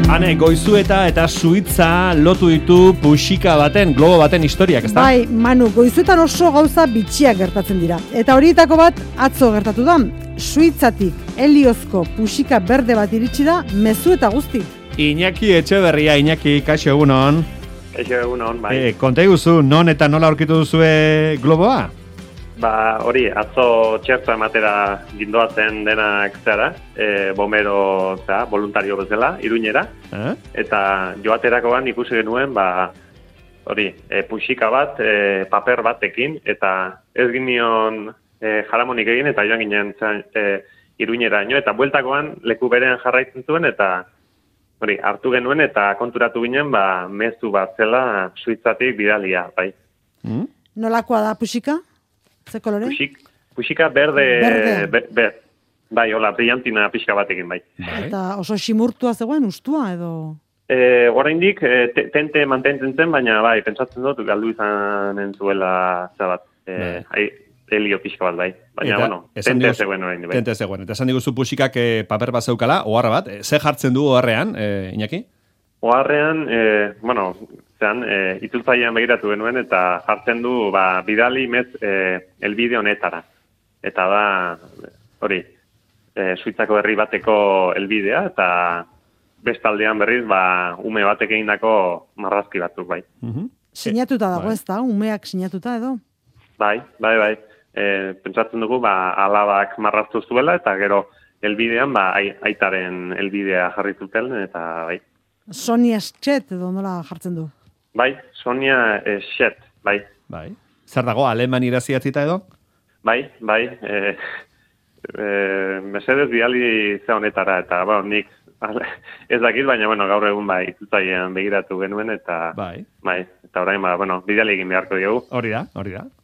Hane, Goizueta eta Suitza lotu ditu puxika baten, globo baten historiak, ezta? Bai, Manu, Goizuetan oso gauza bitxiak gertatzen dira. Eta horietako bat atzo gertatu da. Suitzatik heliozko puxika berde bat iritsi da, mezu eta guzti. Iñaki Etxeberria, Iñaki, kaixo egunon. Kaixo egunon, bai. Konta iguzu, non eta nola aurkitu duzue globoa? Ba, hori, atzo txerto ematera gindoazen denak zara, bomero, voluntario bezala, Iruñera, eta joaterakoan ikusi genuen, ba, hori, puxika bat, paper batekin, eta ez ginion jaramonik egin, eta joan ginen Iruñera ino, eta bueltakoan leku berean jarraitzen zuen, eta hori, hartu genuen, eta konturatu ginen, ba, mezu bat zela Suitzatik bidalia, bai. Nolakoa da puxika? Ze kolore? Puxika berde. Bai, hola, brillantina pixka batekin, bai. Eta oso simurtua zegoen, ustua edo? Oraindik tente mantentzen zen, baina bai, pentsatzen dut, galdu izanen zuela zabat. Helio pixka bat, bai. Baina, eta, bueno, tente zegoen oraindik, bai. Tente zegoen. Eta esan diguzu puxikak paper bat zeukala, oharra bat. Ze jartzen du oharrean, Iñaki? Oharrean, bueno, itzultzailean begiratu genuen, eta jartzen du, ba, bidali mez elbide honetara. Eta da, hori, Suitzako herri bateko elbidea, eta bestaldean berriz, ba, ume batek egindako marrazki batzuk, bai. Sinatuta dago, ez da? Umeak sinatuta edo? Bai. Pentsatzen dugu, ba, alabak marraztu zuela, eta gero elbidean, ba, aitaren elbidea jarri zuten, eta bai. Sonia Schet edo nola jartzen du? Bai, Sonia Schet, bai. Bai. Zer dago, aleman iraziatzita edo? Bai. Mesedez bidali ze honetara, eta nik ez dakit, baina gaur egun bai, itzultzailean begiratu genuen, eta bai, eta orain, bidali egin beharko dugu. Hori da.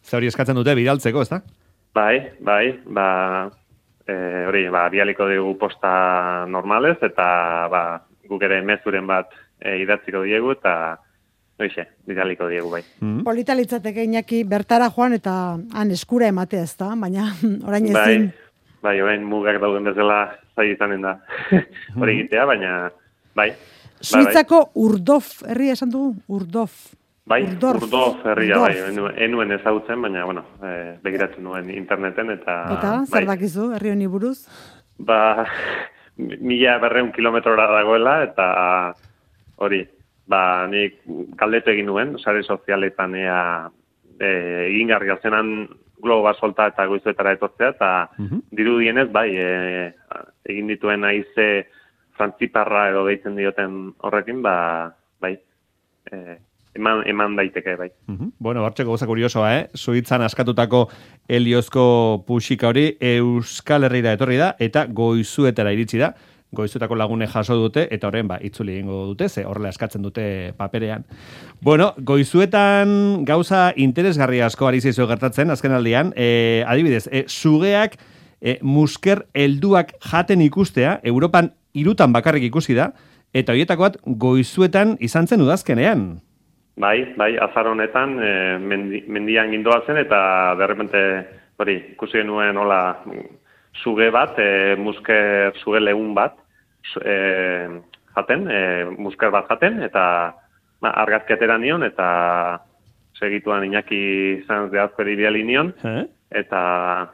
Ze hori eskatzen dute bidaltzeko, ez da? Bai, bidaliko dugu posta normalez, eta guk ere mezuren bat idatziko diegu, eta bidaliko diegu, bai. Polita litzateke, Iñaki, bertara joan eta han eskura ematea, ez da? Baina orain ezin. Bai, orain mugak dauden bezala zai izanen da hori egitea, baina bai. Suitzako Urdorf herria esan dugu? Urdorf. Bai, Urdorf herria, bai. Enuen ezagutzen, baina, begiratu nuen interneten, eta zer dakizu, herri honi buruz? 1.200 kilometrora dagoela, eta hori, nik galdetu egin nuen, sare sozialetan egingarria zenan globo bat solta eta Goizuetara etortzea, eta dirudienez, egin dituen haize frantziparra edo deitzen dioten horrekin, eman daiteke, bai. Bueno, bartxeko goza kuriosoa, Suitzan askatutako heliozko puxika hori Euskal Herrira etorri da, eta Goizuetara iritsi da. Goizuetako lagune jaso dute, eta horren, itzuli egingo dute, ze horrela eskatzen dute paperean. Bueno, Goizuetan gauza interesgarri asko ari zaizu gertatzen, azken aldian, adibidez, sugeak musker helduak jaten ikustea, Europan 3 bakarrik ikusi da, eta horietako bat Goizuetan izan zen udazkenean. Bai, azar honetan, mendian gindoazen, eta derrepente, ikusi genuen hola suge bat, musker suge lehun bat, musker bat jaten, eta argazkiatera nion, eta segituan Iñaki izan zehazperi biali nion, eta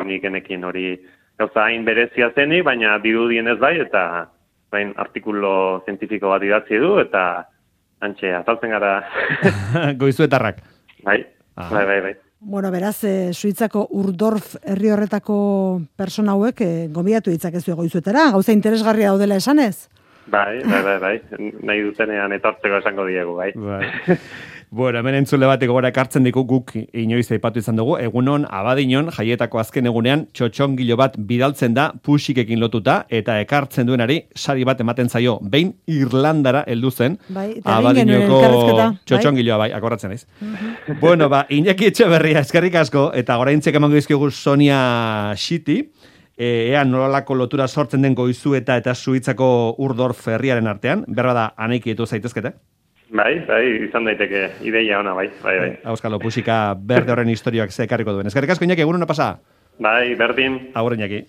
nik enekin hori gauza hain berezia zenik, baina dirudienez bai, eta artikulo zientifiko bat idatzi du, eta antxe, azaltzen gara. Goizuetarrak. Bai. Bueno, beraz, Suitzako Urdorf herri horretako persona hauek gonbidatu ditzakezu Goizuetara, gauza interesgarria daudela esanez? Bai. Nahi dutenean etortzeko esango diegu, bai. Bueno, hemen entzule bateko gora ekartzen diku guk inoiz aipatu izan dugu, egunon Abadiñon jaietako azken egunean txotxongilo bat bidaltzen da puxikekin lotuta, eta ekartzen duenari sari bat ematen zaio, behin Irlandara heldu zen, Abadiñoko txotxongiloa, akordatzen naiz. Bueno, Iñaki Etxeberria, eskerrik asko, eta oraintzek emango dizkigu Sonia Xiti, ea nolako lotura sortzen den Goizueta eta Suitzako Urdorf herriaren artean, berba da anaikietu zaitezkete? Bai, izan daiteke ideia ona, bai. Auskalo, puxika berde horren historioak zekarriko duen. Eskerrik asko, Iñaki, egun hona pasa? Bai, berdin. Agur, Iñaki.